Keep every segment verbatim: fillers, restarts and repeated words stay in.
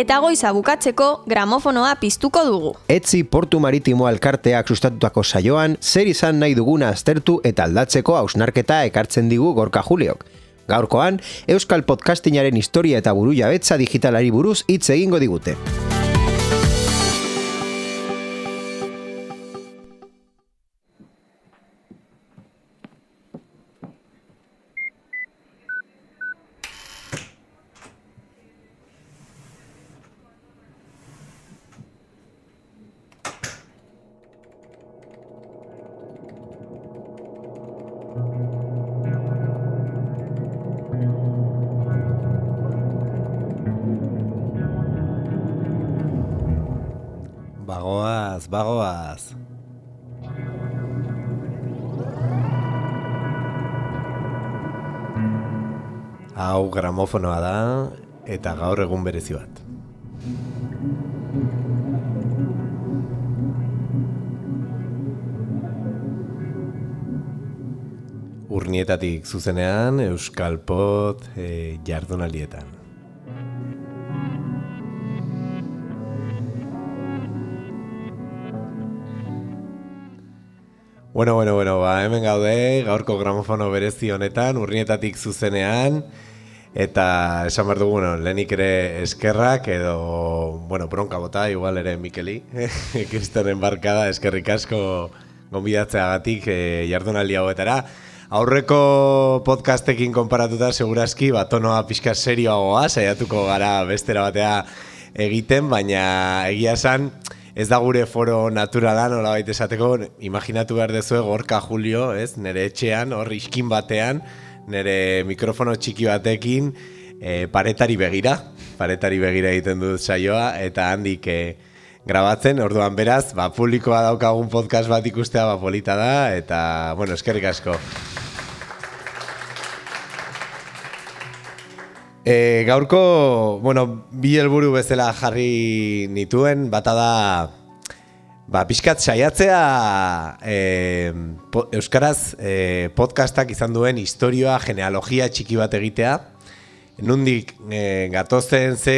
eta goiza bukatzeko gramofonoa piztuko dugu. Etzi Portu Maritimo Elkarteak sustatutako saioan, zer izan nahi duguna aztertu eta aldatzeko hausnarketa ekartzen digu Gorka Juliok. Gaurkoan, Euskal Podcastingaren historia eta burujabetza digitalari buruz hitz egingo digute. Bagoaz, bagoaz. Hau gramofonoa da, eta gaur egun berezi bat. Urnietatik zuzenean, Euskal Pod e, jardunaldietan. Bueno, bueno, bueno, ba, hemen gaude, gaurko gramofono berezi honetan, urnietatik zuzenean, eta esan behar dugu, bueno, lehenik ere eskerrak, edo, bueno, bronka bota, igual ere Mikeli, Kristoren barkada, eskerrik asko gonbidatzeagatik e, jardunaldi hauetara. Aurreko podcastekin konparatuta, segurazki, ba, tonoa pixka serioagoa, saiatuko gara bestera batea egiten, baina egia esan, ez da gure foro naturala, nola baita esateko, imaginatu behar dezue Gorka Julio, ez, nire etxean, hor iskin batean, nire mikrofono txiki batekin, e, paretari begira, paretari begira egiten dut saioa, eta handik e, grabatzen, orduan beraz, ba, publikoa daukagun podcast bat ikustea, ba, polita da, eta, bueno, eskerrik asko. E, gaurko, bueno, bi helburu bezala jarri nituen, bata da, ba, pixkat saiatzea e, po, Euskaraz e, podcastak izan duen historioa, genealogia txiki bat egitea, nundik e, gatozen ze,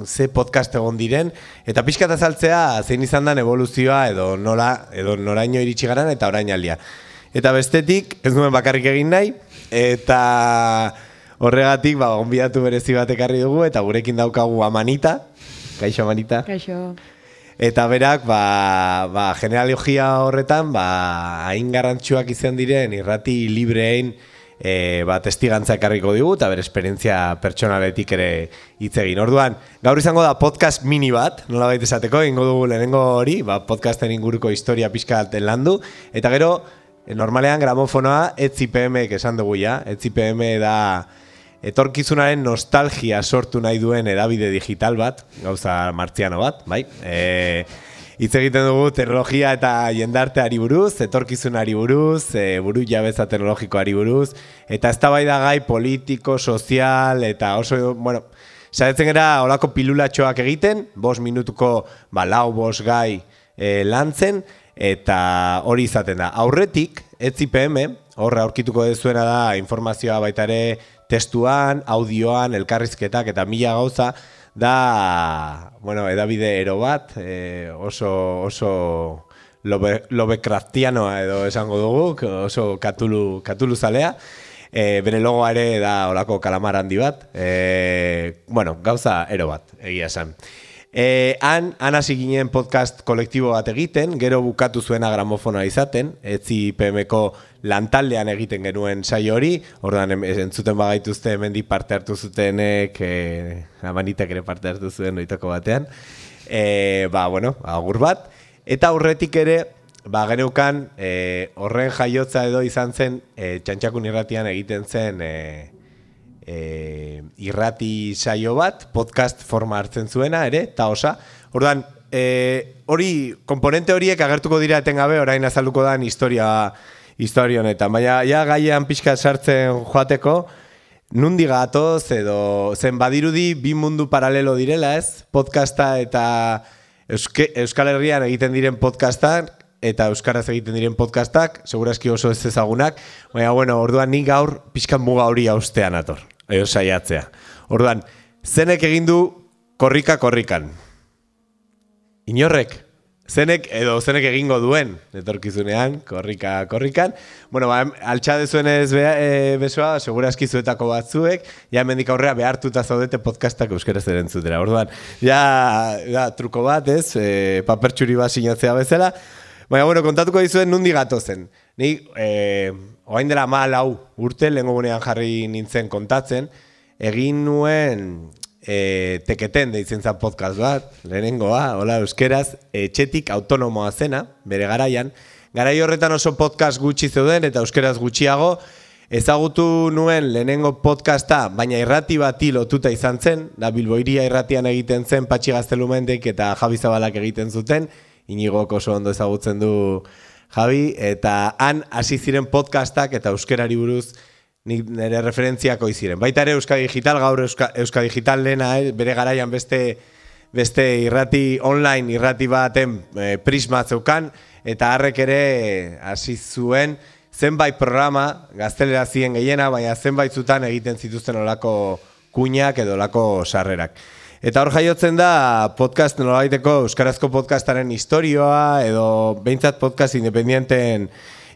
ze podcast egon diren, eta pixkat azaltzea zein izan den evoluzioa edo nola, edo noraino iritsi garan eta orainaldia. Eta bestetik, ez nuen bakarrik egin nahi, eta horregatik, ba, gonbidatu berezi bat ekarri dugu, eta gurekin daukagu Amanita. Kaixo, Amanita. Kaixo. Eta berak, ba, ba, genealogia horretan, ba, hain garrantzuak izan diren irrati librein e, ba, testigantza ekarriko digu, eta bere esperientzia pertsonaletik ere hitz egin. Orduan, gaur izango da podcast mini bat, nola baita esateko, ingo dugu lehenengo hori, ba, podcasten inguruko historia pixka alten landu, eta gero, normalean gramofonoa Etzi P M-ek esan dugu ja, Etzi P M da etorkizunaren nostalgia sortu nahi duen edabide digital bat, gauza martziano bat, bai? E, hitz egiten dugu teknologia eta jendarteari buruz, etorkizunari buruz, e, buru jabetza teknologikoari buruz, eta eztabaidagai politiko, sozial, eta oso, bueno, saiatzen gara olako pilulatxoak egiten, bost minutuko, ba, lau bost gai e, lantzen, eta hori izaten da. Aurretik, Etzi P M, horra aurkituko dezuena da informazioa baita ere testuan, audioan, elkarrizketak eta mila gauza da, bueno, edabide ero bat, e, oso, oso lobe, Lovecraftianoa edo esango dugu, oso katulu, katulu zalea. E, bere logoa ere da olako kalamar handi bat, e, bueno, gauza ero bat, egia esan. E, han, han hasi ginen podcast kolektibo bat egiten, gero bukatu zuena gramofonoa izaten, Etzi P M-ko lantaldean egiten genuen saio hori, orduan entzuten bagaituzte hemendik parte hartu zutenek, e, Amanitek ere parte hartu zuen oitako batean, e, ba, bueno, agur bat, eta aurretik ere, ba, geneukan, e, horren jaiotza edo izan zen, e, Txantxakun irratian egiten zen, e, E, irrati saio bat, podcast forma hartzen zuena ere, eta osa. Orduan, e, hori, komponente horiek agertuko dira etengabe, orain azalduko dan historia, historia honetan. Baina, ja gaian pixka sartzen joateko, nundi gatoz edo zen badirudi bi mundu paralelo direla, ez? Podcasta eta Euske, Euskal Herrian egiten diren podcastak, eta euskaraz egiten diren podcastak, segurazki oso ez ezagunak, baina, bueno, orduan nik gaur pixkan muga hori haustean ator, edo saiatzea. Orduan, zenek egin du korrika korrikan. Inorrek, zenek edo zenek egingo duen, etorkizunean, korrika korrikan. Bueno, ba, altxa dezuenez be, e, besoa, segurazki zuetako batzuek, ja hemendik aurrea behartuta zaudete podcastak euskeraz erentzutera. Orduan, ja, ja truko bat, ez, e, papertxuri bat sinatzea bezala. Baina, bueno, kontatuko dizuen nundi gatozen. Ni, e, orain dela malau urte, lehengo gunean jarri nintzen kontatzen, egin nuen e, teketen deitzen zan podcast bat, lehenengoa, hola euskeraz, etxetik autonomoa zena, bere garaian. Garai horretan oso podcast gutxi zeuden eta euskeraz gutxiago, ezagutu nuen lehenengo podcasta, baina irrati bati lotuta izan zen, da Bilboiria irratian egiten zen, Patxi Gaztelumendek eta Javi Zabalak egiten zuten, Inigok oso ondo ezagutzen du Javi, eta han hasi ziren podcastak eta euskerari buruz nire referentziako iziren. Baita ere Euskadi Digital, gaur Euska, Euskadi Digital lehena, eh, bere garaian beste, beste irrati online, irrati baten eh, prisma zeukan, eta harrek ere hasi zuen zenbait programa, gaztelera ziren gehiena, baina zenbait zutan egiten zituzten olako kuinak edo olako sarrerak. Eta hor jaiotzen da podcast nolabaiteko euskarazko podcastaren historioa edo behintzat podcast independienten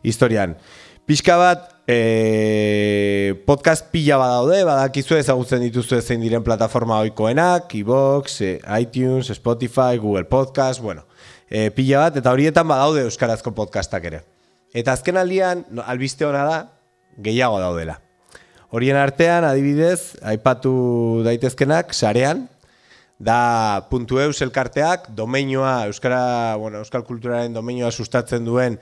historian. Pixka bat e, podcast pila badaude, badakizue ezagutzen dituzue zein diren plataforma ohikoenak, iVoox, e, iTunes, Spotify, Google Podcast, bueno, e, pila bat, eta horietan badaude euskarazko podcastak ere. Eta azken aldian, no, albiste hona da, gehiago daudela. Horien artean, adibidez, aipatu daitezkenak, sarean, da .eus elkarteak, domeinua, euskara, bueno, euskal kulturaren domeinua sustatzen duen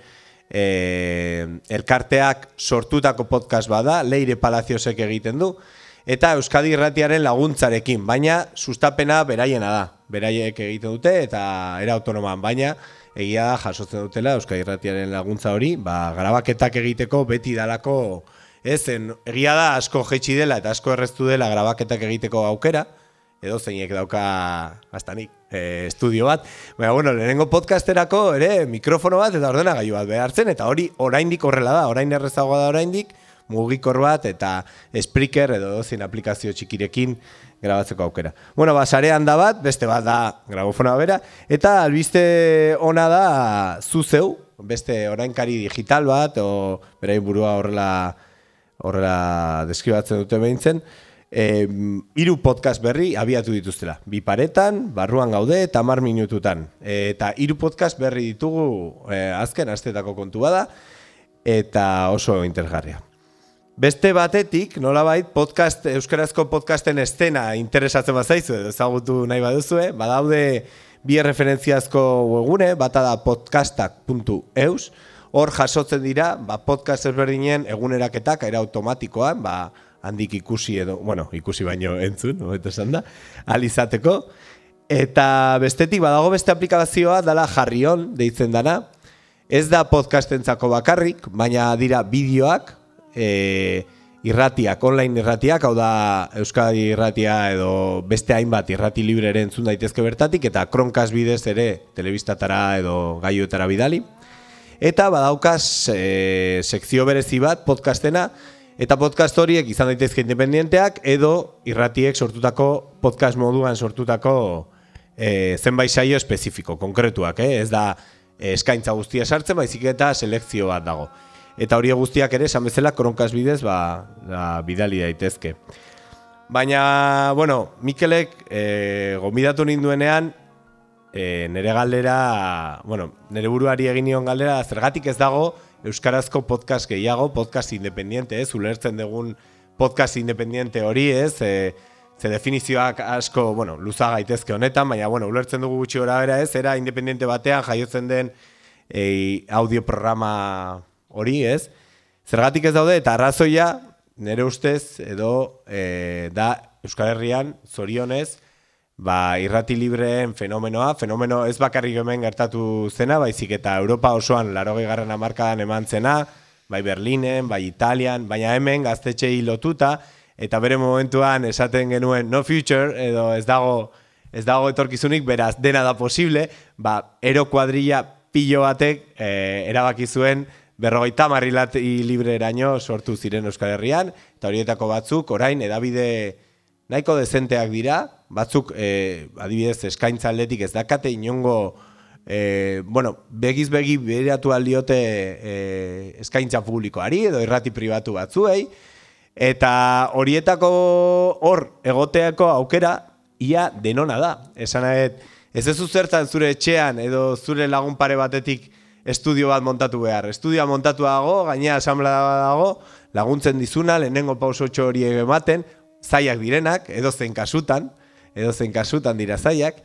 e, elkarteak sortutako podcast bada, Leire Palaziosek egiten du, eta Euskadi Irratiaren laguntzarekin, baina sustapena beraiena da, beraiek egiten dute eta era autonoman, baina egia da jasotzen dutela Euskadi Irratiaren laguntza hori, ba, grabaketak egiteko beti dalako, ez, egia da asko jaitsi dela eta asko erreztu dela grabaketak egiteko aukera, edo zeinek dauka bastanik e, estudio bat. Baina, bueno, lehenengo podcasterako ere mikrofono bat eta ordenagailu bat behartzen, eta hori oraindik horrela da, orain errezagoa da oraindik, mugikor bat eta Spreaker edo zein aplikazio txikirekin grabatzeko aukera. Bueno, ba, sarean da bat, beste bat da gramofonoa bera, eta albiste ona da zu zeu, beste orainkari digital bat, o berain burua horrela, horrela deskribatzen dute behintzen, E, hiru podcast berri abiatu dituztela. Bi paretan, barruan gaude eta hamar minututan. E, eta hiru podcast berri ditugu e, azken astetako kontu bada eta oso interesgarria. Beste batetik, nolabait, podcast, euskarazko podcasten estena interesatzen bazaizu, ezagutu nahi baduzue, badaude bi referentziazko webgune, bata da podcastak puntu eus, hor jasotzen dira, ba, podcast ezberdinen eguneraketak, era automatikoan, ba, handik ikusi edo, bueno, ikusi baino entzun, hobeto esan da, alizateko. Eta bestetik badago beste aplikazioa dala Jarrion deitzen dana. Ez da podcastentzako bakarrik, baina dira bideoak, e, irratiak, online irratiak, hau da Euskadi irratia edo beste hainbat irrati libre ere entzun daitezke bertatik, eta Kronkaz bidez ere telebistatara edo gaioetara bidali. Eta badaukaz e, sekzio berezi bat podcastena, eta podcast horiek izan daitezke independienteak edo irratiek sortutako podcast moduan sortutako e, zenbait saio espezifiko, konkretuak, eh? Ez da e, eskaintza guztia sartzen, baizik eta selekzio bat dago. Eta hori guztiak ere, esan bezala, Kronkaz bidez, ba, ba, bidali daitezke. Baina, bueno, Mikelek e, gonbidatu ninduenean, e, nire galdera, bueno, nire buruari egin nion galdera, zergatik ez dago, euskarazko podcast gehiago, podcast independiente, ez, ulertzen dugun podcast independiente hori, ez, e, ze definizioak asko, bueno, luza gaitezke honetan, baina, bueno, ulertzen dugu gutxi gora bera, ez, era independiente batean jaiotzen den e, audioprograma hori, ez, zergatik ez daude, eta arrazoia, nire ustez, edo, e, da, Euskal Herrian, zorionez, ba, irrati libreen fenomenoa, fenomeno ez bakarrik hemen gertatu zena, baizik eta Europa osoan larogei garren hamarkadan eman zena, bai Berlinen, bai Italian, baina hemen gaztetxei lotuta, eta bere momentuan esaten genuen no future, edo ez dago, ez dago etorkizunik, beraz dena da posible, ba, ero kuadrilla pilo batek e, erabaki zuen berrogeita hamar irrati libre eraino sortu ziren Euskal Herrian, eta horietako batzuk orain edabide nahiko dezenteak dira, batzuk e, adibidez eskaintza aldetik ez dakate inongo e, bueno, begiz begi beratu aldiote e, eskaintza publikoari edo irrati pribatu batzuei, eta horietako hor egoteako aukera ia denona da. Esan nahet, ez ez zertan zure etxean edo zure lagun pare batetik estudio bat montatu behar. Estudioa montatu dago, gainea asamblea dago, laguntzen dizuna, lehenengo pausotxo horiek ematen, zaiak direnak, edo zen kasutan, edo zen kasutan dira zaiak,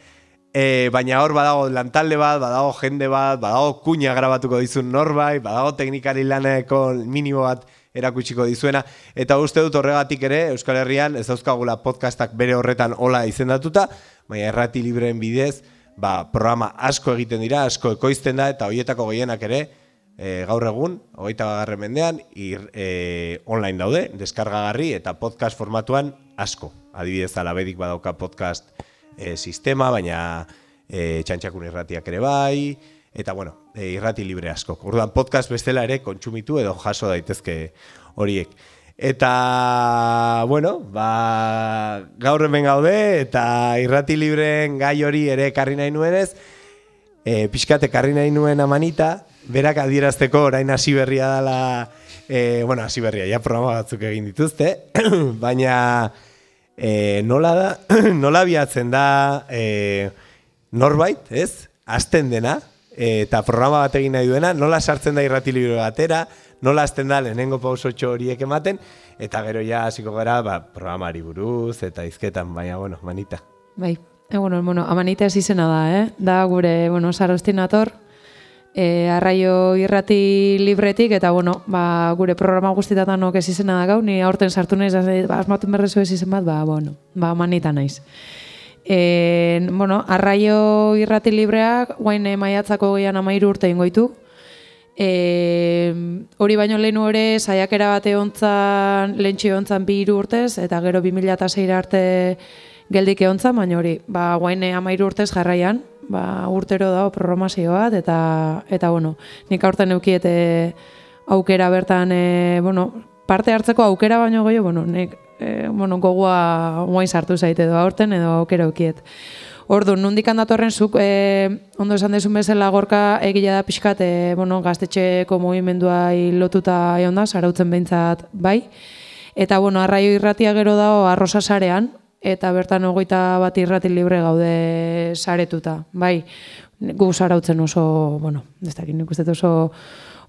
e, baina hor badago lantalde bat, badago jende bat, badago kuña grabatuko dizun norbait, badago teknikari laneko minimo bat erakutsiko dizuena, eta uste dut horregatik ere, Euskal Herrian ez dauzkagula podcastak bere horretan hola izendatuta, baina errati libreen bidez, ba, programa asko egiten dira, asko ekoizten da, eta horietako gehienak ere, e, gaur egun, hogeita bagarren mendean, ir, e, online daude, deskargagarri, eta podcast formatuan asko. Adibidez, Alabedik badauka podcast e, sistema, baina e, Txantxakun irratiak ere bai, eta bueno, e, irrati libre asko. Orduan podcast bestela ere kontsumitu edo jaso daitezke horiek. Eta, bueno, ba, gaur hemen gaude, eta irrati libreen gai hori ere ekarri nahi nuenez, e, pixkat ekarri nahi nuen Amanita, berak adierazteko orain hasi berria dela, e, bueno, hasi berria, ja programa batzuk egin dituzte, baina e, nola da, nola biatzen da e, norbait, ez? Azten dena, e, eta programa bat egin nahi duena, nola sartzen da irrati libre batera, nola azten da lehenengo pausotxo horiek ematen, eta gero ja hasiko gara ba, programari buruz, eta izketan, baina, bueno, Manita. Bai, e, bueno, bueno, Amanita ez izena da, eh? Da gure, bueno, Sarostinator, e, arraio irrati libretik, eta, bueno, ba, gure programa guztitatan ok ez izena da gau, ni aurten sartu naiz, ba, asmatu berrezu ez izen bat, ba, bueno, ba, Amanita naiz. E, bueno, arraio irrati libreak, guain maiatzako gehian amairu urte ingoitu, E, hori baino lehenu ere saiakera bate ontzan, lehentxi ontzan bi hiru urtez, eta gero bi mila sei arte geldik ontzan, baina hori, ba, guaine amairu urtez jarraian, ba, urtero dago programazio bat, eta, eta bueno, nik aurten eukiete aukera bertan, e, bueno, parte hartzeko aukera baino goio, bueno, nik, e, bueno, gogoa guain sartu zaite edo aurten edo aukera eukiet. Ordu, nondik handatorren zuk, e, ondo esan dezun bezala Gorka egila da pixkat, e, bueno, gaztetxeko mugimendua lotuta egon da, zarautzen behintzat bai. Eta, bueno, arraio irratia gero dago arrosa sarean, eta bertan hogeita bat irrati libre gaude saretuta, bai. Gu zarautzen oso, bueno, ez dakit nik uste oso,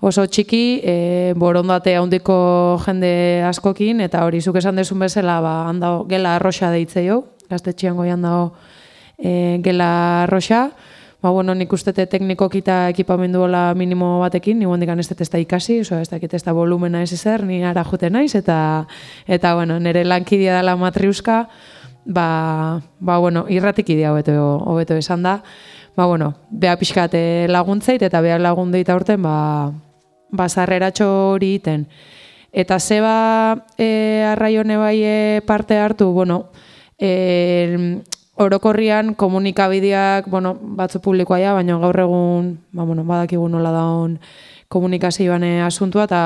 oso txiki, e, borondate handiko jende askokin, eta hori zuk esan dezun bezala, ba, handao, gela arrosa deitze jo, gaztetxean goian dago, E, gela arroxa, ba, bueno, nik ustete teknikoki eta ekipamenduola minimo batekin, ni hondikan ez da ikasi, oso ez dakit ez da volumena ez ezer, ni ara jute naiz, eta, eta bueno, nire lankidia dela matriuska, ba, ba, bueno, irratik idea hobeto, hobeto esan da, ba, bueno, beha pixkat laguntzeit, eta beha lagundeit aurten, ba, ba, zarreratxo hori iten. Eta zeba e, arraione bai e, parte hartu, bueno, e, orokorrian komunikabideak, bueno, batzu publikoa ja, baina gaur egun, ba, bueno, badakigu nola daun komunikazioan asuntua, eta,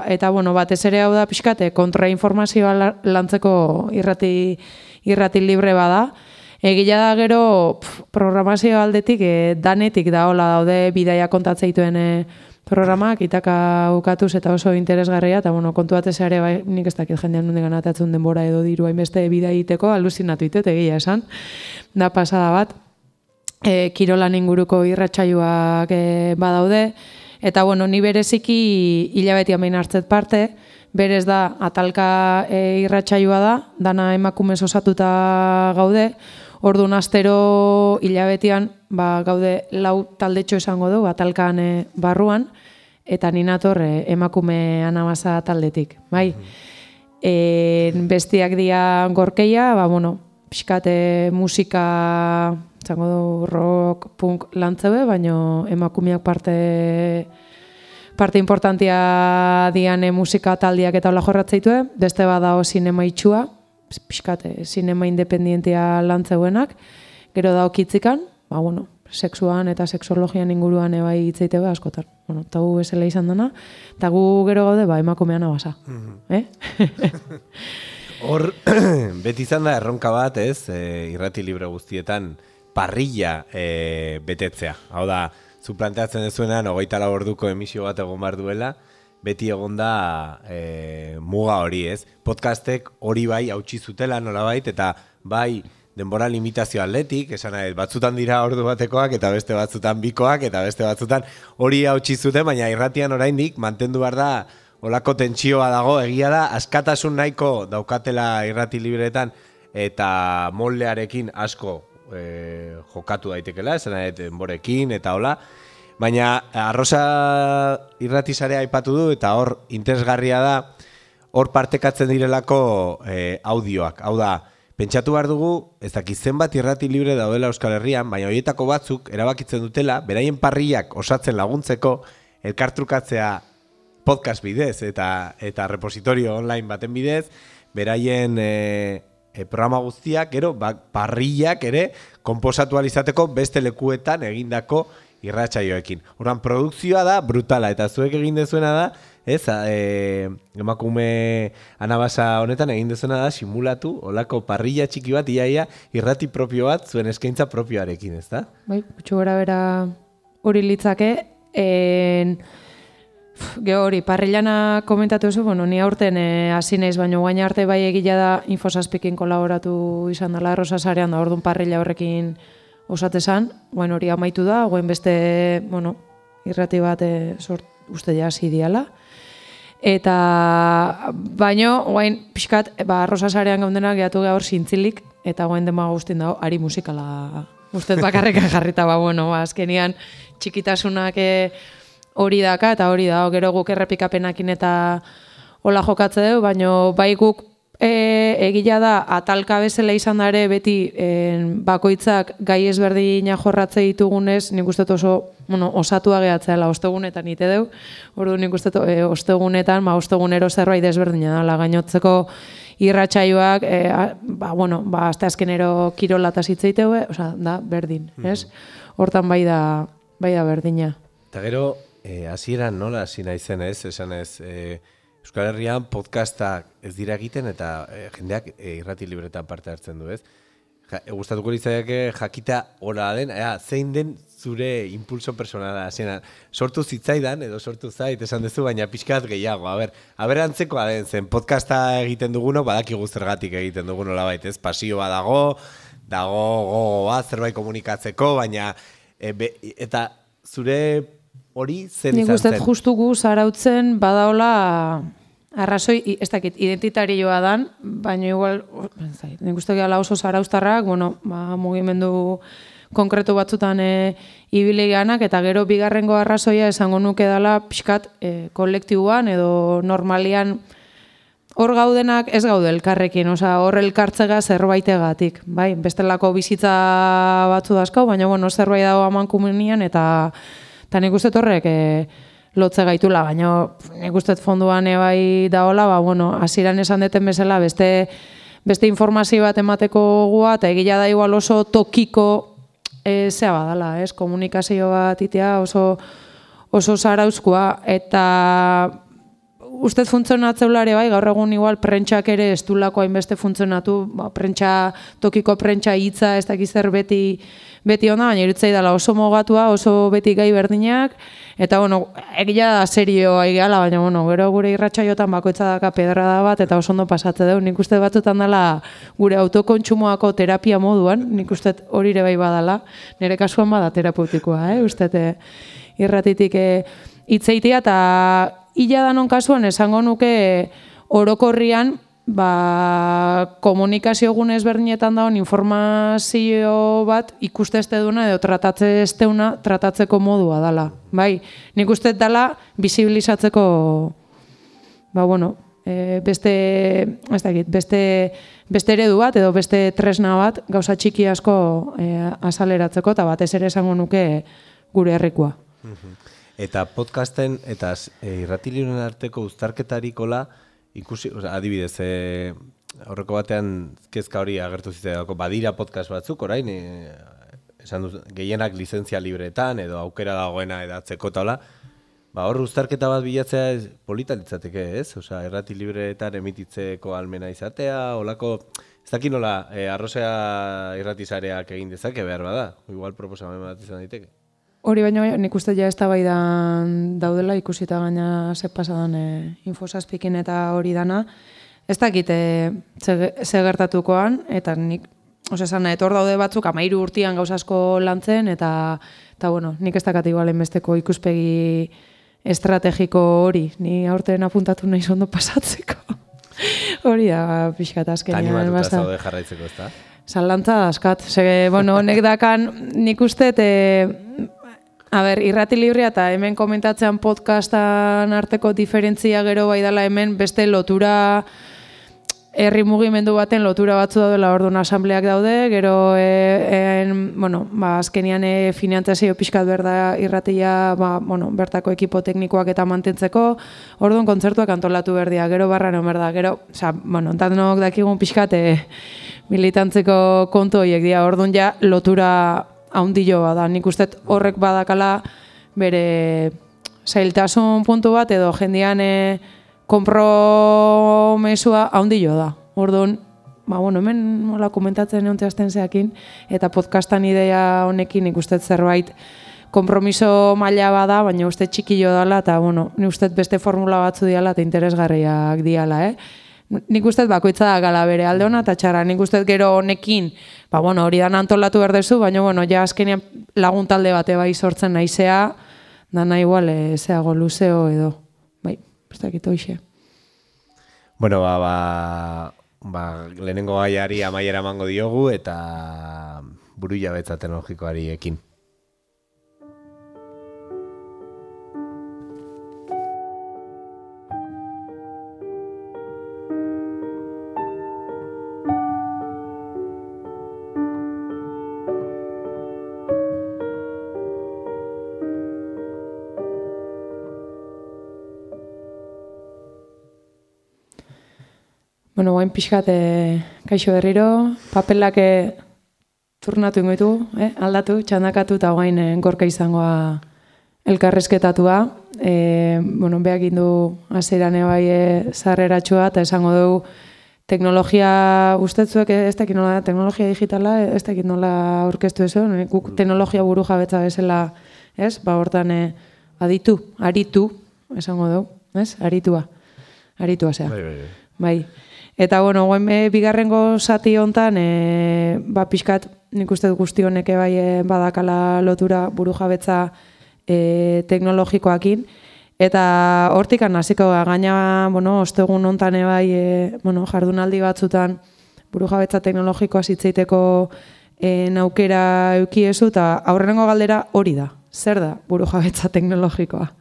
eta bueno, batez ere hau da pixkate, kontrainformazioa lantzeko irrati, irrati libre bada. Egila da gero pf, programazio aldetik, e, danetik da hola daude bidaia kontatzeituen e, programak, itaka ukatuz eta oso interesgarria, eta bueno, kontu batez ere, bai, nik ez dakit jendean nundik ganatatzen denbora edo diru hainbeste bidea egiteko, aluzinatu itet, egia esan, da pasada bat, e, kirolan inguruko irratsaioak e, badaude, eta bueno, ni bereziki hilabetean behin hartzet parte, berez da atalka e, irratsaioa da, dana emakumez osatuta gaude, orduan astero hilabetean ba, gaude lau taldetxo esango du, atalkan e, barruan, eta ninator e, emakume anabasa taldetik, bai. E, bestiak dia Gorkeia, ba, bueno, pixkate musika, zango du rock, punk lantzeue, baina emakumeak parte parte importantia dian e, musika taldiak eta hola jorratzeitue, beste badao sinema itxua, pixkate, sinema independientia lantzeuenak, gero dao kitzikan, ba, bueno, sexuan eta sexologian inguruan ebai hitzeite be askotan. Bueno, eta gu bezala izan dena, eta gu gero gaude, ba, emakumean abasa. Mm-hmm. Eh? Hor, beti izan da erronka bat, ez, e, irrati libre guztietan parrilla e, betetzea. Hau da, zu planteatzen dezuenan, hogeita lau orduko emisio bat egon behar duela, beti egon da e, muga hori, ez? Podcastek hori bai hautsi zutela nolabait, eta bai denbora limitazio atletik, esan nahi, batzutan dira ordu batekoak, eta beste batzutan bikoak, eta beste batzutan hori hautsi zuten, baina irratian oraindik mantendu behar da, olako tentsioa dago, egia da, askatasun nahiko daukatela irrati libreetan, eta moldearekin asko e, jokatu daitekela, esan nahi, denborekin, eta hola, baina Arrosa irratizarea aipatu du, eta hor interesgarria da, hor partekatzen direlako e, audioak, hau da, pentsatu behar dugu, ez dakit zenbat irrati libre daudela Euskal Herrian, baina horietako batzuk erabakitzen dutela, beraien parriak osatzen laguntzeko, elkartrukatzea podcast bidez eta eta repositorio online baten bidez, beraien e, e, programa guztiak, gero, ba, parriak ere, konposatu alizateko beste lekuetan egindako irratsaioekin. Orduan, produkzioa da brutala, eta zuek egin dezuena da, ez, e, emakume anabasa honetan egin dezuena da simulatu, olako parrilla txiki bat, iaia, irrati propio bat, zuen eskaintza propioarekin, ez da? Bai, gutxu gora bera hori litzake, en... Gero hori, parrillana komentatu zu, bueno, ni aurten hasi naiz, baina guain arte bai egila da Infosazpikin kolaboratu izan dela Arrosa sarean da, orduan parrilla horrekin osatezan, guain hori amaitu da, guain beste, bueno, irrati bat e, sort, uste ja hasi diala. Eta, baino, guain pixkat, ba, Arrosa sarean gaundenak gehiatu gaur zintzilik, eta guain dema guztien dago, ari musikala ustez bakarreka jarrita, ba, bueno, ba, azkenian txikitasunak e, hori daka, eta hori da, gero guk errepikapenakin eta hola jokatze dugu, baina bai guk e, egila da, atalka bezala izan da ere, beti en, bakoitzak gai ezberdina jorratze ditugunez, nik uste oso, bueno, osatua gehatzeala, ostegunetan ite dugu, ordu nik uste e, ostegunetan, ma ostegunero zerbait ezberdina da, gainotzeko irratsaioak, e, ba, bueno, ba, azte azkenero kirolataz hitzeiteu, osea, da, berdin, ez? Hortan bai da, bai da berdina. Eta gero, hasieran nola hasi naizen, ez? Esan ez, e, Euskal Herrian podcastak ez dira egiten eta e, jendeak e, irrati libretan parte hartzen du, ez? Ja, e, gustatuko litzaiake jakita hola den, ea, zein den zure impulso personala hasieran. Sortu zitzaidan edo sortu zait esan duzu, baina pixkat gehiago. A ber, a ber antzekoa den zen podcasta egiten duguno, badakigu zergatik egiten dugun nolabait, ez? Pasioa dago, dago gogoa zerbait komunikatzeko, baina e, be, eta zure hori zer izan zen? Nik uste justu gu zarautzen badaola arrazoi, ez dakit, identitarioa dan, baina igual, nik uste gala oso zarauztarrak, bueno, ba, mugimendu konkretu batzutan e, ibili ganak, eta gero bigarrengo arrazoia esango nuke dela pixkat e, kolektiboan edo normalian hor gaudenak ez gaude elkarrekin, osea, hor elkartzega zerbaitegatik, bai, bestelako bizitza batzu dazkau, baina bueno, zerbait dago amankumenian eta Eta nik uste horrek e, lotze gaitula, baina nik uste fonduan ebai daola, ba, bueno, hasieran esan deten bezala, beste, beste informazio bat emateko gua, eta egila da igual oso tokiko e, zea badala, ez? Komunikazio bat itea oso, oso zarauzkoa, eta ustez funtzionatzeulare bai, gaur egun igual prentxak ere ez du lako hainbeste funtzionatu, ba, prentxa, tokiko prentxa hitza, ez dakiz zer beti, beti onda, baina irutzei dela oso mogatua, oso beti gai berdinak, eta bueno, egia da serioa egiala, baina bueno, gero gure irratsaiotan bakoitza daka pedrada bat, eta oso ondo pasatze dugu, nik uste batzutan dela gure autokontsumoako terapia moduan, nik uste hori ere bai badala, nire kasuan bada terapeutikoa, eh? Uste irratitik hitzeitia, eta ila danon kasuan esango nuke orokorrian, ba, komunikazio gune ezberdinetan dagoen informazio bat ikuste ez duna edo tratatze ez deuna tratatzeko modua dala. Bai, nik uste dela bisibilizatzeko ba, bueno, e, beste, ez dakit, beste, beste eredu bat edo beste tresna bat gauza txiki asko e, azaleratzeko eta batez ere esango nuke gure herrikoa. Eta podcasten eta e, irratiliren arteko uztarketarikola ikusi, o sea, adibidez, e, horreko batean kezka hori agertu zitzaidako, badira podcast batzuk, orain, e, esan duz, gehienak lizentzia libretan edo aukera dagoena edatzeko taula, ba, hor uztarketa bat bilatzea ez, polita litzateke, ez? Osea, errati libreetan emititzeko almena izatea, olako, ez dakit nola, e, arrozea irratizareak egin dezake behar bada, igual proposamen bat izan daiteke. Hori baino nik uste ja eztabaidan daudela ikusita gaina ze pasadan e, infosazpikin eta hori dana. Ez dakit e, ze, ze gertatukoan, eta nik, ose esan, hor daude batzuk amairu urtian gauza asko lantzen, eta, eta bueno, nik ez dakat igualen besteko ikuspegi estrategiko hori, ni aurten apuntatu nahi ondo pasatzeko. Hori da, pixkat azkenean. Animatuta zaude jarraitzeko, ez da? Zalantza askat. Ze, bueno, honek dakan, nik uste, e, a ber, irrati librea eta hemen komentatzean podcastan arteko diferentzia gero bai dela hemen beste lotura, herri mugimendu baten lotura batzu daudela, orduan asambleak daude, gero e, en, bueno, ba, azkenian e, finantzazio pixkat berda irratia, ba, bueno, bertako ekipo teknikoak eta mantentzeko, orduan kontzertuak antolatu berdia, gero barra no berda, gero, oza, bueno, ontanok dakigun pixkat e, militantzeko kontu horiek dira, orduan ja lotura haundilloa da, nik uste horrek badakala bere zailtasun puntu bat edo jendian e, konpromesua haundillo da. Orduan, ba, bueno, hemen mola komentatzen egon zehazten zeakin, eta podcastan idea honekin nik uste zerbait konpromiso maila bada, baina uste txikillo dala, eta bueno, nik uste beste formula batzu diala eta interesgarriak diala, eh? Nik uste bakoitza da gala bere alde hona eta txarra, nik uste gero honekin, ba, bueno, hori da antolatu berdezu, baina, bueno, ja azkenean lagun talde bate bai sortzen naizea, dana igual, e, zeago luzeo edo, bai, ez dakit hoxe. Bueno, ba, ba, ba, lehenengo gaiari amaiera emango diogu eta burujabetza teknologikoari ekin. Bueno, guain pixkat, e, kaixo berriro, papelak e, turnatu ingoitu, eh? aldatu, txandakatu eta guain e, gorka izangoa elkarrezketatua. E, bueno, behak indu azeran ebai e, zarreratxua eta esango dugu teknologia ustetzuek, ez dakit nola teknologia digitala, ez dakit nola aurkeztu eso, guk teknologia buru jabetza bezala, ez? Ba, hortan e, aditu, aritu, esango dugu, ez? Aritua, aritua zea. Bai, bai, bai. Bai. Eta, bueno, guen e, bigarrengo zati hontan, e, ba, pixkat, nik uste guzti honek bai e, badakala lotura burujabetza e, teknologikoakin. Eta hortikan hasiko gaina, bueno, ostegun hontan bai, e, bueno, jardunaldi batzutan burujabetza teknologikoa zitzeiteko e, naukera eukiezu, eta aurrenengo galdera hori da. Zer da burujabetza teknologikoa?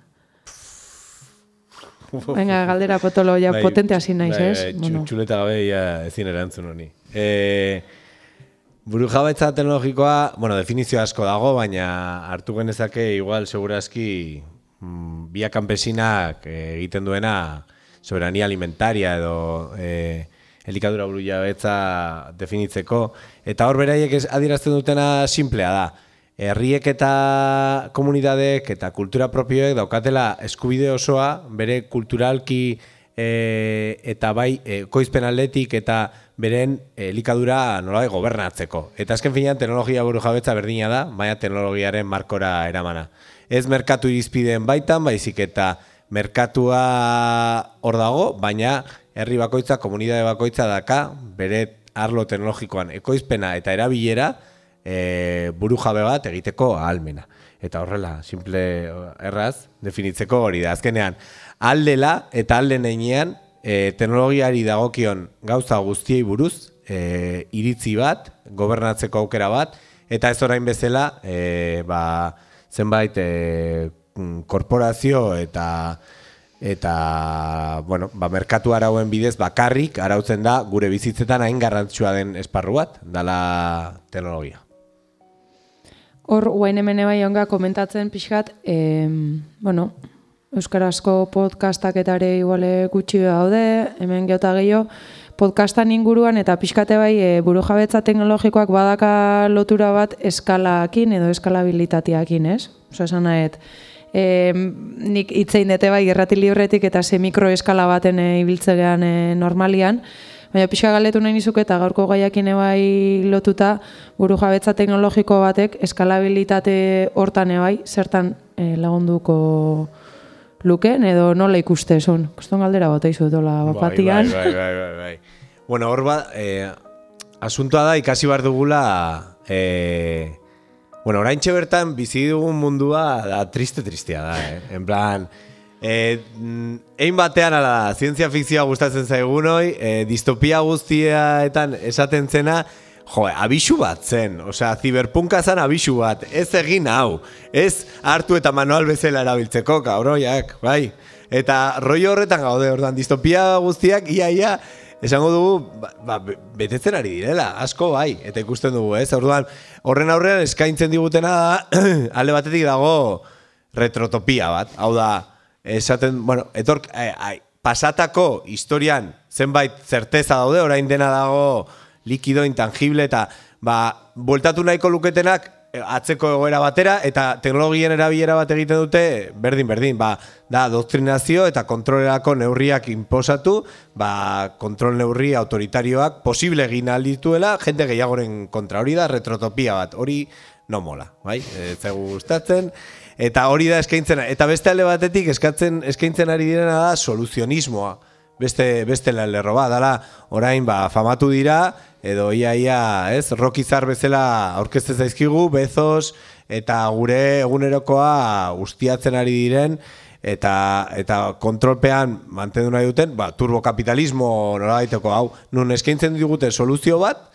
Venga, galdera potolo, ja bai, potente hasi naiz, ez? Bai, bueno. Txuleta gabe ja ezin erantzun honi. E, burujabetza teknologikoa, bueno, definizio asko dago, baina hartu genezake igual segurazki mm, via campesinak e, egiten duena soberania alimentaria edo e, elikadura burujabetza definitzeko. Eta hor beraiek adierazten dutena simplea da. Herriek eta komunitateek eta kultura propioek daukatela eskubide osoa bere kulturalki e, eta bai e, koizpen aldetik eta beren elikadura nolabait gobernatzeko. Eta azken finean teknologia burujabetza berdina da, baina teknologiaren markora eramana. Ez merkatu irizpideen baitan, baizik eta merkatua hor dago, baina herri bakoitza, komunitate bakoitza daka bere arlo teknologikoan ekoizpena eta erabilera E, buru jabe bat egiteko ahalmena. Eta horrela, simple erraz, definitzeko hori da. Azkenean, aldela eta alden einean e, teknologiari dagokion gauza guztiei buruz, e, iritzi bat, gobernatzeko aukera bat, eta ez orain bezala, e, ba, zenbait e, korporazio eta eta bueno, ba, merkatu arauen bidez bakarrik arautzen da gure bizitzetan hain garrantzitsua den esparru bat, dala teknologia. Hor, guain hemen ebai onga komentatzen pixkat, e, bueno, euskarazko podcastak eta ere iguale gutxi daude, hemen geota gehiago, podcastan inguruan eta pixkate bai e, burujabetza teknologikoak badaka lotura bat eskalaakin edo eskalabilitateakin, ez? Oso esan nahet, E, nik itzein dute bai irrati libretik eta ze mikroeskala baten e, ibiltzean e, normalian, baina pixka galetu nahi nizuk eta gaurko gaiakin bai lotuta buru jabetza teknologiko batek eskalabilitate hortan bai zertan e, lagunduko luken edo nola ikuste zuen. Koston galdera bota izu dola bapatian. Bai, bai, bai, bai, bai. Bueno, hor ba, eh, asuntoa da ikasi behar dugula, eh, bueno, oraintxe bertan bizi dugun mundua da triste-tristea da, eh? En plan, eh, ein batean ala zientzia fikzioa gustatzen zaigunoi, eh, distopia guztiaetan esaten zena, jo, abisu bat zen, osea, ziberpunka zen abisu bat, ez egin hau, ez hartu eta manual bezala erabiltzeko, kabroiak, bai. Eta rollo horretan gaude, ordan, distopia guztiak, ia, ia, esango dugu, ba, ba, betetzen ari direla, asko bai, eta ikusten dugu, ez? Orduan, horren aurrean eskaintzen digutena da, alde batetik dago retrotopia bat, hau da, esaten, bueno, etork, ai, ai, pasatako historian zenbait zerteza daude, orain dena dago likido, intangible, eta ba, bueltatu nahiko luketenak atzeko egoera batera, eta teknologien erabilera bat egiten dute, berdin, berdin, ba, da, doktrinazio eta kontrolerako neurriak inposatu, ba, kontrol neurri autoritarioak posible egin aldituela, jende gehiagoren kontra, hori da retrotopia bat, hori no mola, bai, ez zaigu gustatzen, eta hori da eskaintzen, eta beste alde batetik eskatzen, eskaintzen ari direna da soluzionismoa, beste, beste lerro bat, dala, orain, ba, famatu dira, edo ia, ia, ez, rokizar bezala aurkezte zaizkigu, Bezos, eta gure egunerokoa ustiatzen ari diren, eta, eta kontrolpean mantendu nahi duten, ba, turbokapitalismo nola daiteko hau, nun eskaintzen digute soluzio bat,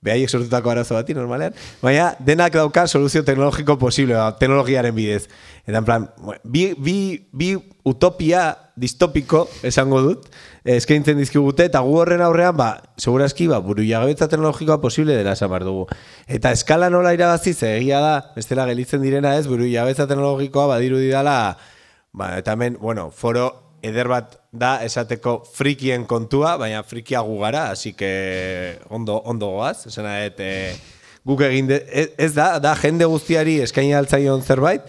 behaiek sortutako arazo bati, normalean, baina denak dauka soluzio teknologiko posible, ba, teknologiaren bidez. Eta, en plan, bi, bi, bi utopia distopiko, esango dut, eskaintzen dizkigute, eta gu horren aurrean, ba, segurazki, ba, buru jagabetza teknologikoa posible dela esan behar dugu. Eta eskala nola irabaziz, egia da, bestela gelitzen direna ez, buru jagabetza teknologikoa badiru didala, ba, eta hemen, bueno, foro eder bat da esateko frikien kontua, baina frikia gu gara, así que ondo, ondo goaz, esena et, e, guk egin, de, ez da, da jende guztiari eskaini altzaion zerbait,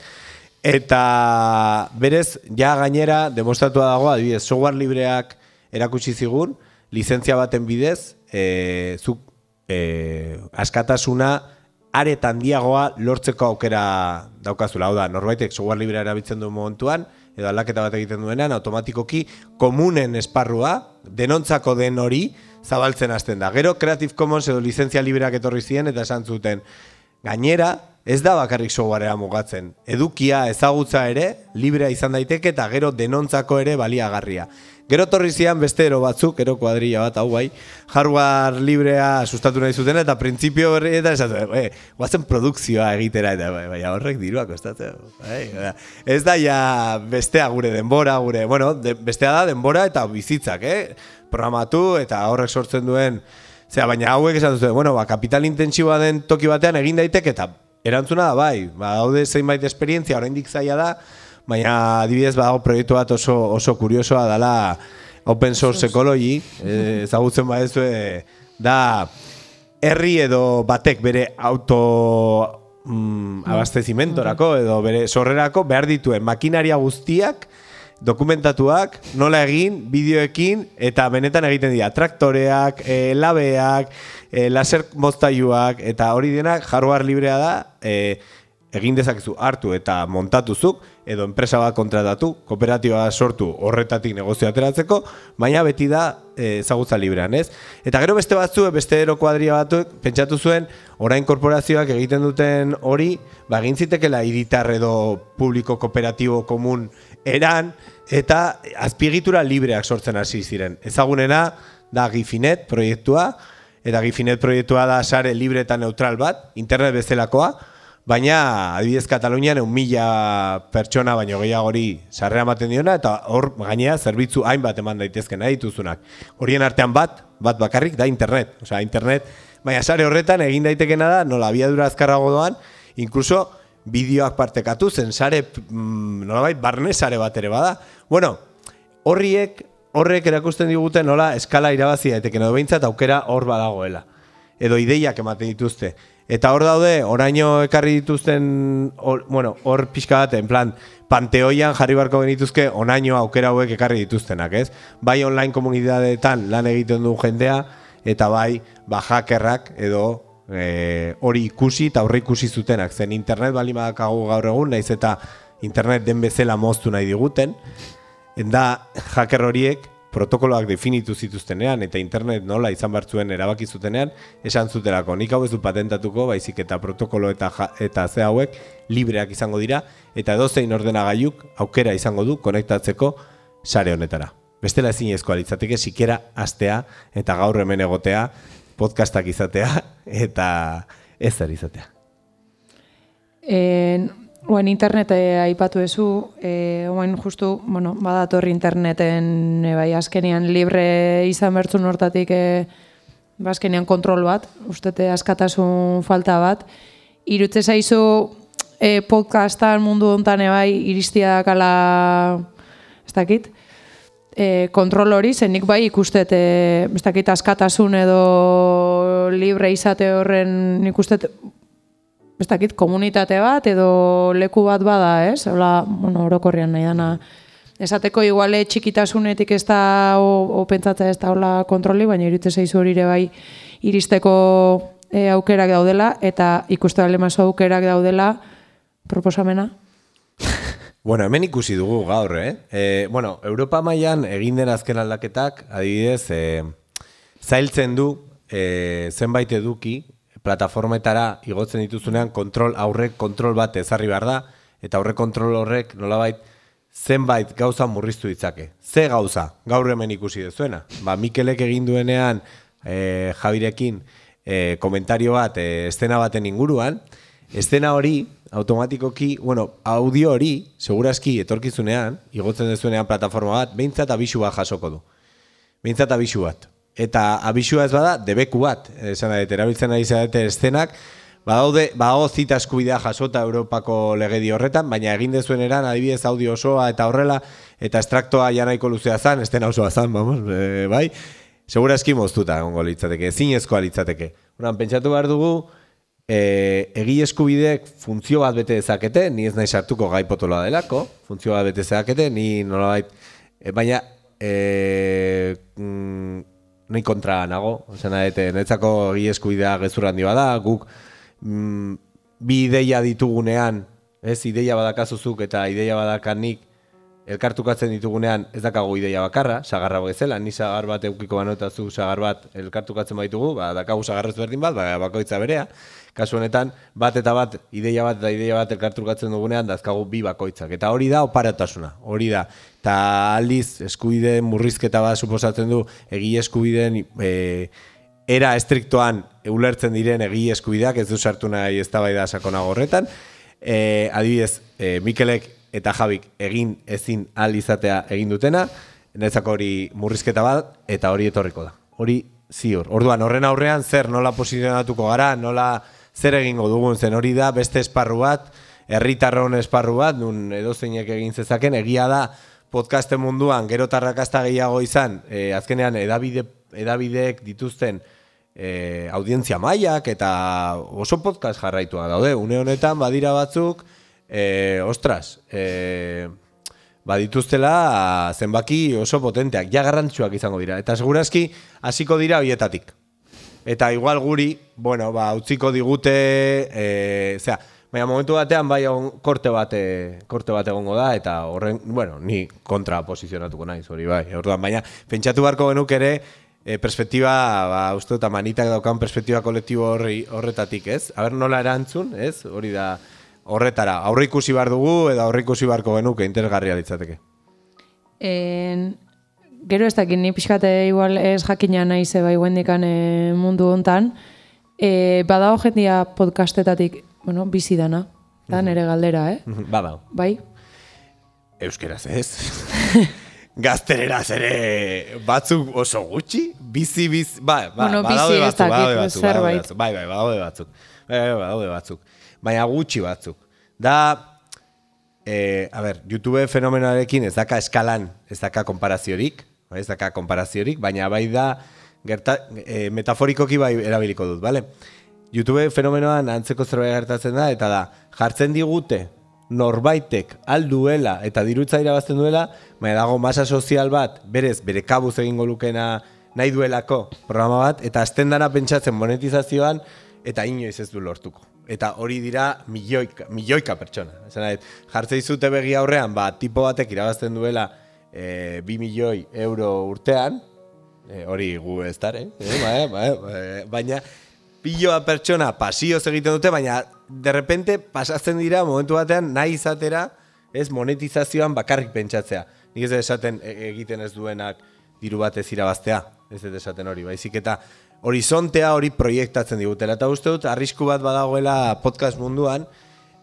eta berez, ja gainera, demostratua dago, adibidez, software libreak erakutsi zigun, lizentzia baten bidez, e, zuk e, askatasuna are handiagoa lortzeko aukera daukazula. Hau da, norbaitek software librea erabiltzen duen momentuan, edo aldaketa bat egiten duenean, automatikoki komunen esparrua, denontzako den hori, zabaltzen hasten da. Gero Creative Commons edo lizentzia libreak etorri ziren eta esan zuten, gainera, ez da bakarrik softwarea mugatzen. Edukia, ezagutza ere, librea izan daiteke eta gero denontzako ere baliagarria. Gero torri zian beste ero batzuk, ero kuadrilla bat, hau bai, hardware librea sustatu nahi zuten eta printzipio berri eta esatu, e, guazen produkzioa egitera eta bai, bai, horrek dirua kostatzen. Bai, ez da ja bestea gure denbora, gure, bueno, de, bestea da denbora eta bizitzak, eh? Programatu eta horrek sortzen duen, zera, baina hauek esatu zuen, bueno, ba, kapital intentsiboa den toki batean egin daiteke eta erantzuna da bai, ba, daude zeinbait esperientzia, oraindik zaila da, baina adibidez badago proiektu bat oso, oso kuriosoa dela Open Source Ecology, ezagutzen badezu, da herri edo batek bere auto mm, abastezimentorako edo bere sorrerako behar dituen makinaria guztiak dokumentatuak, nola egin, bideoekin, eta benetan egiten dira traktoreak, e, labeak, e, laser moztailuak, eta hori denak hardware librea da, e, egin dezakezu hartu eta montatuzuk, edo enpresa bat kontratatu, kooperatiba sortu horretatik negozio ateratzeko, baina beti da e, ezagutza librean, ez? Eta gero beste batzu, beste ero kuadria batuek, pentsatu zuen, orain korporazioak egiten duten hori, ba, egin zitekela hiritar edo publiko kooperatibo komun eran, eta azpiegitura libreak sortzen hasi ziren. Ezagunena da Gifinet proiektua, eta Gifinet proiektua da sare libre eta neutral bat, internet bezalakoa, baina adibidez Katalunian un mila pertsona baino gehiagori sarrera ematen diona, eta hor gainea zerbitzu hainbat eman daitezken nahi dituzunak. Horien artean bat, bat bakarrik da internet. Osea, internet, baina sare horretan egin daitekena da, nola abiadura azkarrago doan, inkluso bideoak partekatu zen sare, mm, nolabait, barne sare bat ere bada. Bueno, horriek, horrek erakusten digute nola eskala irabazi daiteken edo behintzat aukera hor badagoela. Edo ideiak ematen dituzte. Eta hor daude, oraino ekarri dituzten, or, bueno, hor pixka bat, en plan, panteoian jarri barko genituzke onaino aukera hauek ekarri dituztenak, ez? Bai online komunitateetan lan egiten du jendea, eta bai, ba, hackerrak edo e, hori ikusi eta horre ikusi zutenak. Zen internet bali badakagu gaur egun, naiz eta internet den bezala moztu nahi diguten, da hacker horiek protokoloak definitu zituztenean eta internet nola izan bertzuen erabaki zutenean, esan zutelako, nik hau ez du patentatuko, baizik eta protokolo eta, ja, eta ze hauek libreak izango dira, eta edozein ordenagailuk aukera izango du konektatzeko sare honetara. Bestela ezinezkoa litzateke, sikera astea eta gaur hemen egotea, podcastak izatea eta ez zer izatea. En... Oen internet eh, aipatu ezu, eh, oen justu, bueno, badatorri interneten eh, bai azkenean libre izan bertzun hortatik eh, azkenean kontrol bat, ustete askatasun falta bat. Irutze zaizu eh, podcastan mundu hontan bai iristia kala, ez dakit, eh, kontrol hori, zenik bai ikustet, eh, ez dakit askatasun edo libre izate horren ikustet, ez dakit, komunitate bat edo leku bat bada, ez? Hola, bueno, orokorrean nahi dana. Esateko iguale txikitasunetik ez da, o, o pentsatzea ez da hola kontroli, baina iritze zaizu hori ere bai iristeko e, aukerak daudela, eta ikuste alemazo aukerak daudela proposamena. Bueno, hemen ikusi dugu gaur, eh? E, bueno, Europa mailan egin den azken aldaketak, adibidez, e, zailtzen du e, zenbait eduki, plataformetara igotzen dituzunean kontrol aurrek kontrol bat ezarri behar da, eta aurrek kontrol horrek nolabait zenbait gauza murriztu ditzake. Ze gauza, gaur hemen ikusi dezuena. Ba, Mikelek egin duenean e, Javirekin e, komentario bat, e, estena baten inguruan, estena hori automatikoki, bueno, audio hori, seguraski etorkizunean, igotzen dezuenean plataforma bat, behintzat abisu bat jasoko du. Behintzat abisu bat. Eta abisua ez bada, debeku bat, esan da, erabiltzen ari zarete estenak, badaude, badago zita eskubidea jasota Europako legedi horretan, baina egin dezuen eran, adibidez audio osoa eta horrela, eta estraktoa janaiko luzea zan, estena osoa zan, vamos, e, bai, segurazki moztuta egongo litzateke, zinezkoa litzateke. Horan, pentsatu behar dugu, e, egi eskubideek funtzio bat bete dezakete, ni ez nahi sartuko gai potoloa delako, funtzio bat bete dezakete, ni nolabait, e, baina, e, mm, nahi kontra nago, ozen adete, netzako egi eskubidea gezur handi bada, guk mm, bi ideia ditugunean, ez, ideia badakazuzuk eta ideia badakanik, elkartukatzen ditugunean ez dakago ideia bakarra, sagarra bezala, ni sagar bat eukiko banotazu sagar bat elkartukatzen baitugu, ba, dakagu sagarrez berdin bat, ba, bakoitza berea, kasu honetan, bat eta bat, ideia bat eta ideia bat elkartukatzen dugunean, dazkagu bi bakoitzak, eta hori da oparatasuna, hori da, eta aldiz eskubideen murrizketa bat suposatzen du, egi eskubideen e, era estriktoan ulertzen diren egi eskubideak, ez du sartu nahi eztabaida sakonago horretan, e, adibidez, e, Mikelek eta Javik egin ezin ahal izatea egin dutena, netzako hori murrizketa bat, eta hori etorriko da. Hori ziur. Orduan, horren aurrean, zer nola posizionatuko gara, nola zer egingo dugun zen hori da, beste esparru bat, herritarron esparru bat, nun edozeinek egin zezaken, egia da podcasten munduan, gero tarrakazta gehiago izan, e, azkenean edabide, edabideek dituzten e, audientzia mailak, eta oso podcast jarraitua daude, une honetan badira batzuk, E, ostras, e, badituztela zenbaki oso potenteak, ja garrantzuak izango dira, eta segurazki hasiko dira hoietatik. Eta igual guri, bueno, ba, utziko digute, e, zera, baina momentu batean bai on, korte bate, korte bat egongo da, eta horren, bueno, ni kontra posizionatuko naiz, hori bai, orduan, baina pentsatu beharko genuk ere, e, perspektiba, ba, uste dut, amanitak daukan perspektiba kolektibo horri, horretatik, ez? Aber nola erantzun, ez? Hori da, horretara, aurre ikusi behar dugu, edo aurre ikusi beharko genuke, interesgarria litzateke. En, gero ez dakit, ni pixkate igual ez jakina nahi ze bai guendikan e, mundu hontan, e, badago jendia podcastetatik, bueno, bizi dana, da nere galdera, eh? Badao. Bai? Euskeraz ez. Gaztereraz ere batzuk oso gutxi, bizi, bizi, ba, ba, bueno, badaude bizi ez batzuk, badaude dakit, batzuk, zerbait. batzuk, bai, bai, badaude batzuk, bai, bai, badaude batzuk, baina gutxi batzuk. Da, e, a ber, YouTube fenomenoarekin ez daka eskalan, ez daka konparaziorik, ez daka konparaziorik, baina bai da, gerta, e, metaforikoki bai erabiliko dut, bale? YouTube fenomenoan antzeko zerbait gertatzen da, eta da, jartzen digute norbaitek alduela eta dirutza irabazten duela, baina dago masa sozial bat, berez, bere kabuz egingo lukena nahi duelako programa bat, eta azten dana pentsatzen monetizazioan, eta inoiz ez du lortuko. Eta hori dira milioika, milioika pertsona. Esan, jartzei zute begi aurrean, ba, tipo batek irabazten duela e, bi milioi euro urtean, e, hori gu ez dara, eh? E, ba, ba, ba, baina piloa pertsona pasioz egiten dute, baina derrepente pasatzen dira momentu batean nahi izatera ez monetizazioan bakarrik pentsatzea. Nik ez esaten egiten ez duenak diru batez irabaztea, ez dut esaten hori, baizik eta horizontea hori proiektatzen digutela. Eta uste dut, arrisku bat badagoela podcast munduan,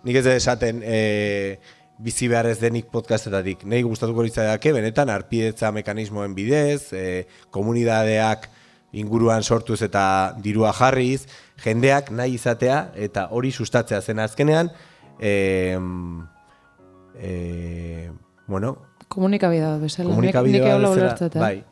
nik ez dut esaten e, bizi behar ez denik podcastetatik. Nei gustatuko litzaidake, benetan, arpidetza mekanismoen bidez, e, komunidadeak inguruan sortuz eta dirua jarriz, jendeak nahi izatea eta hori sustatzea zen azkenean, e, e, bueno, komunikabidea bezala, komunikabidea bezala, bai.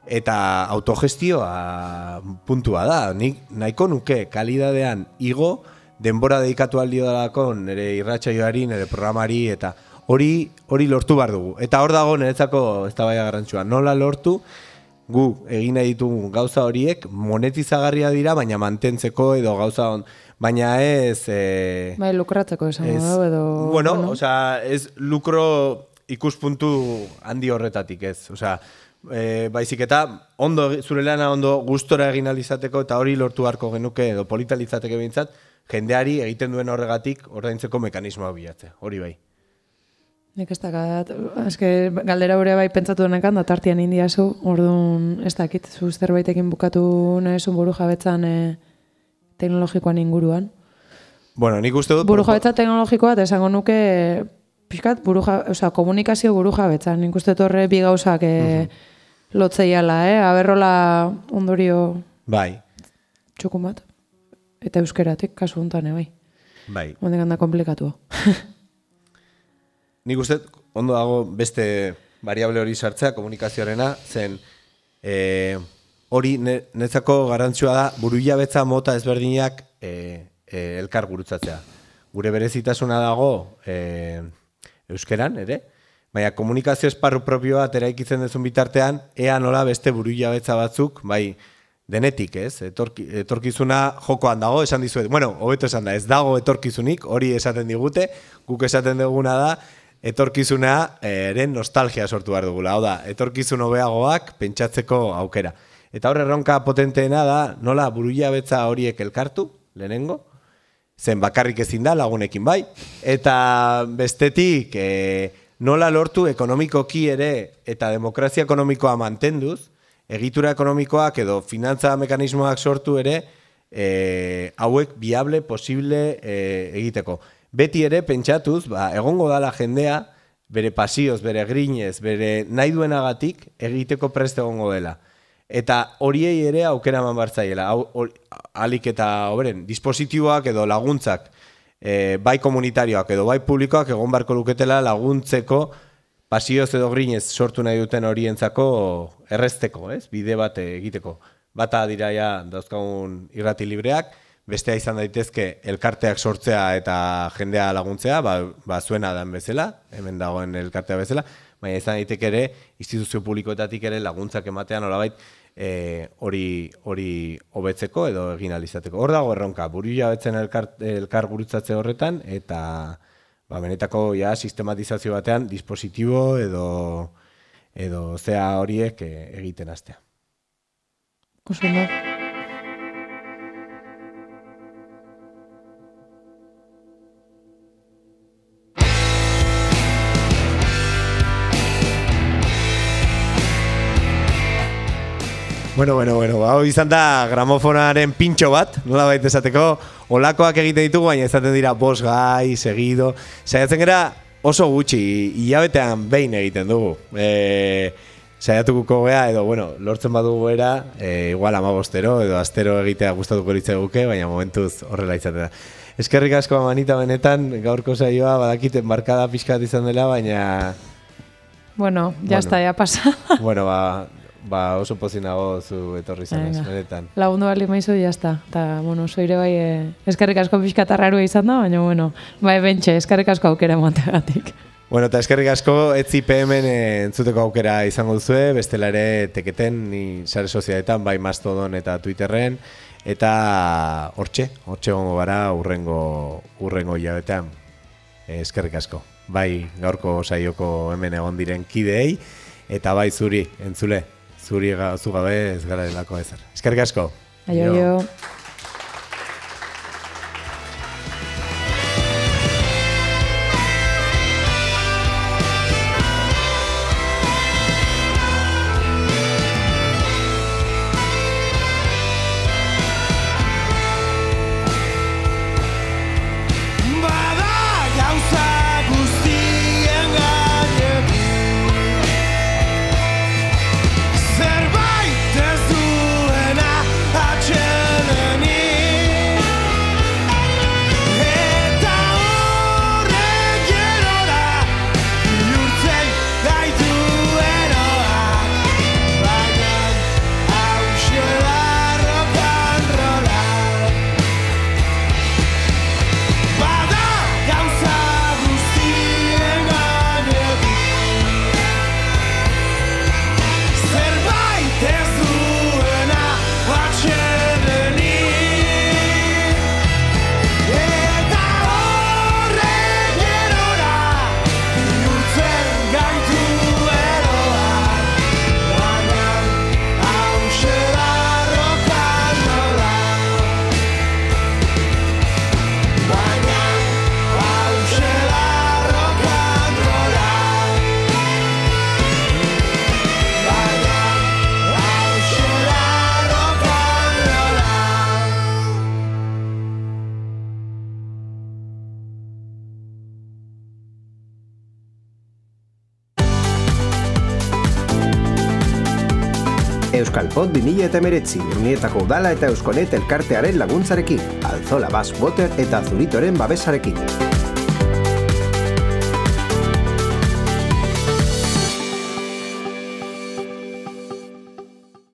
Eta autogestioa puntua da, nik nahiko nuke kalidadean igo, denbora dedikatu aldio dalako nire irratsaioari, nire programari, eta hori hori lortu behar dugu. Eta hor dago niretzako eztabaida garrantzitsua, nola lortu, gu egin nahi ditugu gauza horiek monetizagarria dira, baina mantentzeko edo gauza on, baina ez... E, bai, lukratzeko esan da, edo... Bueno, bueno, osea, ez lukro ikuspuntu handi horretatik ez, osea, e, baizik eta ondo, zure lana ondo gustora egin alizateko eta hori lortu harko genuke edo politalizateke behintzat, jendeari egiten duen horregatik ordaintzeko mekanismoa bilatzea, hori bai. Nik ez dakat, eske galdera hori bai pentsatu denekan, da tartian indiazu, orduan ez dakit, zu zerbaitekin bukatu nahizun buru jabetzan e, teknologikoan inguruan. Bueno, nik uste dut... Buru jabetza teknologikoa, eta esango nuke, pixkat, buru osea, komunikazio buru jabetzan, nik uste dut horre bi gauzak e, uh-huh. lotzeiala, eh? Aberrola ondorio... Bai. Txukun bat. Eta euskeratik, kasu honetan, bai. Bai. Ondik handa komplikatu. Nik uste, ondo dago beste variable hori sartzea, komunikazioarena, zen e, hori netzako garantzua da burujabetza mota ezberdinak e, e, elkar gurutzatzea. Gure berezitasuna dago e, euskeran, ere? Baina komunikazio esparru propio bat eraikitzen dezun bitartean, ea nola beste burujabetza batzuk, bai, denetik, ez? Etorki, etorkizuna jokoan dago, esan dizuet. Bueno, hobeto esan da, ez dago etorkizunik, hori esaten digute, guk esaten duguna da, etorkizuna eren nostalgia sortu behar dugula. Hau da, etorkizun hobeagoak pentsatzeko aukera. Eta hor erronka potenteena da, nola burujabetza horiek elkartu, lehenengo, zen bakarrik ezin da, lagunekin bai, eta bestetik e, nola lortu ekonomikoki ere eta demokrazia ekonomikoa mantenduz, egitura ekonomikoak edo finantza mekanismoak sortu ere e, hauek viable, posible e, egiteko. Beti ere pentsatuz, ba, egongo dala jendea, bere pasioz, bere grinez, bere nahi duenagatik egiteko prest egongo dela. Eta horiei ere aukera eman bartzaiela. Alik eta oberen, dispositiboak edo laguntzak, e, bai komunitarioak edo bai publikoak egon barko luketela laguntzeko pasioz edo grinez sortu nahi duten horientzako errezteko, ez? Bide bat egiteko. Bata dira ja dauzkagun irrati libreak, bestea izan daitezke elkarteak sortzea eta jendea laguntzea, ba, ba zuena dan bezala, hemen dagoen elkartea bezala, baina izan daiteke ere instituzio publikoetatik ere laguntzak ematean nolabait hori hori hobetzeko edo egin alizateko. Hor dago erronka, burujabetzen elkar, elkar gurutzatze horretan eta ba, benetako ja sistematizazio batean dispositibo edo edo zea horiek egiten hastea. Oso ondo. Bueno, bueno, bueno, hau izan da gramofonaren pintxo bat, nola baita esateko, olakoak egiten ditugu, baina ezaten dira bos gai, segido, saiatzen gara oso gutxi, hilabetean behin egiten dugu. E, saiatuko gea, edo, bueno, lortzen badugu era, e, igual amabostero, edo astero egitea gustatuko litzaiguke, baina momentuz horrela izaten da. Eskerrik asko Amanita benetan, gaurko saioa, badakiten markada pixkat izan dela, baina... Bueno, ya bueno, está, ya pasa. Bueno, ba... ba oso pozinago zu etorri zanez, benetan. Lagundu bali maizu, jazta. Eta, bueno, zoire bai, eh, eskerrik asko pixkatarrarua izan da, baina, bueno, bai, bentxe, eskerrik asko aukera emategatik. Bueno, eta eskerrik asko, etzi P M-en entzuteko aukera izango duzue, bestela ere teketen, ni sare sozialetan, bai Mastodon eta Twitterren, eta hortxe, hortxe gongo gara urrengo, urrengo hilabetean. Eskerrik asko. Bai gaurko saioko hemen egon diren kideei, eta bai zuri, entzule, zuri zu gabe ez gara delako ezer. Eskerrik asko. Aio, aio. Euskalpod bi mila hemeretzi, Urnietako udala eta Euskonet elkartearen laguntzarekin, Alzola Bass Water eta Zuritoren babesarekin.